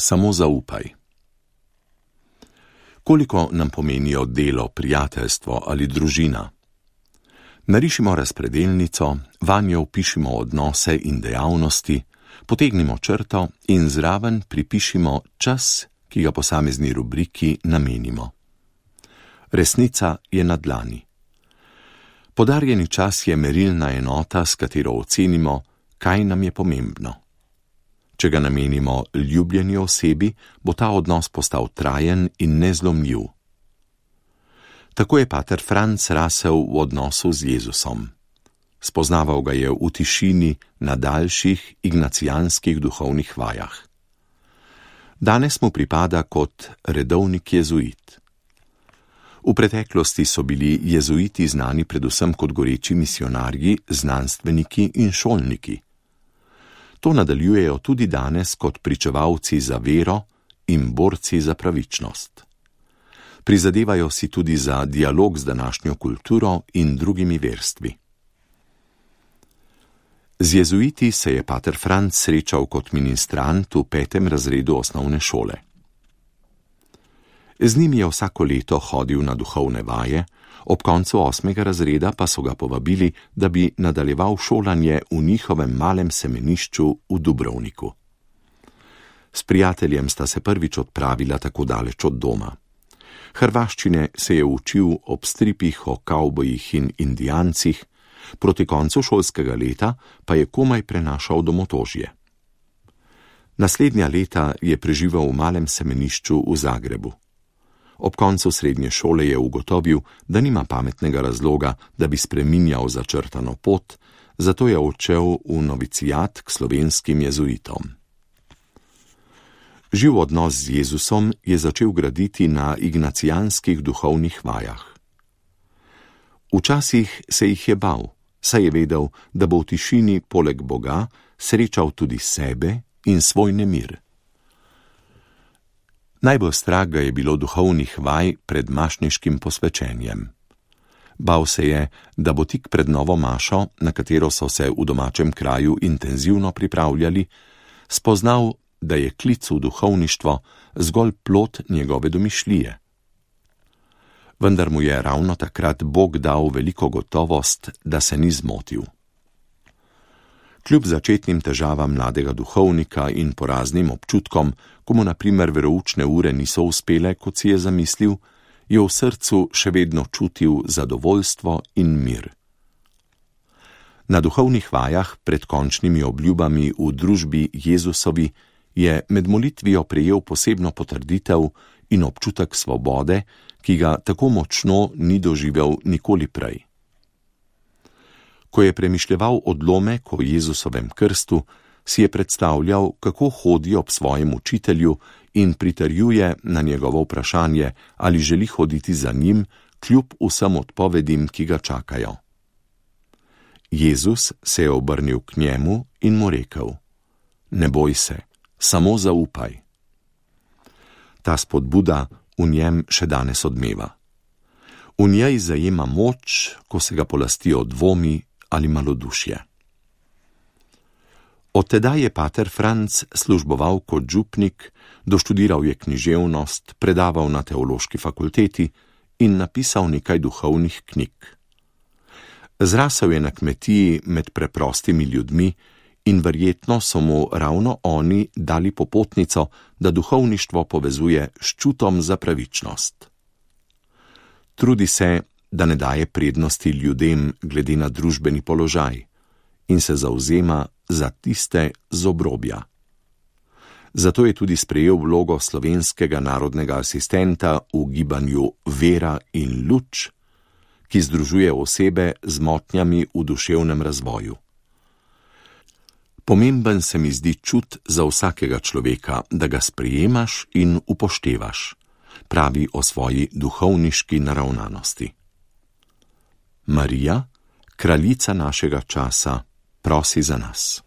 Samo zaupaj. Koliko nam pomenijo delo, prijateljstvo ali družina? Narišimo razpredelnico, vanjo vpišimo odnose in dejavnosti, potegnimo črto in zraven pripišimo čas, ki ga posamezni rubriki namenimo. Resnica je na dlani. Podarjeni čas je merilna enota, s katero ocenimo, kaj nam je pomembno. Če ga namenimo ljubljeni osebi, bo ta odnos postal trajen in nezlomljiv. Tako je pater Franc rasel v odnosu z Jezusom. Spoznaval ga je v tišini na daljših ignacijanskih duhovnih vajah. Danes mu pripada kot redovnik jezuit. V preteklosti so bili jezuiti znani predvsem kot goreči misijonarji, znanstveniki in šolniki. To nadaljujejo tudi danes kot pričevalci za vero in borci za pravičnost. Prizadevajo si tudi za dialog z današnjo kulturo in drugimi verstvi. Z jezuiti se je pater Franc srečal kot ministrant v 5. razredu osnovne šole. Z njim je vsako leto hodil na duhovne vaje, ob koncu 8. razreda pa so ga povabili, da bi nadaljeval šolanje v njihovem malem semenišču v Dubrovniku. S prijateljem sta se prvič odpravila tako daleč od doma. Hrvaščine se je učil ob stripih o kavbojih in indijancih, proti koncu šolskega leta pa je komaj prenašal domotožje. Naslednja leta je preživel v malem semenišču v Zagrebu. Ob koncu srednje šole je ugotovil, da nima pametnega razloga, da bi spreminjal začrtano pot, zato je odšel v novicijat k slovenskim jezuitom. Živ odnos z Jezusom je začel graditi na ignacijanskih duhovnih vajah. Včasih se jih je bal, saj je vedel, da bo v tišini poleg Boga srečal tudi sebe in svoj nemir. Najbolj strah ga je bilo duhovnih vaj pred mašniškim posvečenjem. Bal se je, da bo tik pred novo mašo, na katero so se v domačem kraju intenzivno pripravljali, spoznal, da je klic v duhovništvo zgolj plod njegove domišljije. Vendar mu je ravno takrat Bog dal veliko gotovost, da se ni zmotil. Kljub začetnim težavam mladega duhovnika in poraznim občutkom, ko mu na primer veroučne ure niso uspele, kot si je zamislil, je v srcu še vedno čutil zadovoljstvo in mir. Na duhovnih vajah pred končnimi obljubami v družbi Jezusovi je med molitvijo prejel posebno potrditev in občutek svobode, ki ga tako močno ni doživel nikoli prej. Ko je premišljeval odlomek o Jezusovem krstu, si je predstavljal, kako hodi ob svojem učitelju in pritrjuje na njegovo vprašanje, ali želi hoditi za njim, kljub vsem odpovedim, ki ga čakajo. Jezus se je obrnil k njemu in mu rekel: Ne boj se, samo zaupaj. Ta spodbuda v njem še danes odmeva. V njej zajema moč, ko se ga polastijo dvomi ali malodušje. Od tedaj je pater Franc služboval kot župnik, doštudiral je književnost, predaval na teološki fakulteti in napisal nekaj duhovnih knjig. Zrasel je na kmetiji med preprostimi ljudmi in verjetno so mu ravno oni dali popotnico, da duhovništvo povezuje s čutom za pravičnost. Trudi se, da ne daje prednosti ljudem glede na družbeni položaj in se zavzema za tiste z obrobja. Zato je tudi sprejel vlogo slovenskega narodnega asistenta v gibanju Vera in luč, ki združuje osebe z motnjami v duševnem razvoju. Pomemben se mi zdi čut za vsakega človeka, da ga sprejemaš in upoštevaš, pravi o svoji duhovniški naravnanosti. Marija, kraljica našega časa, prosi za nas.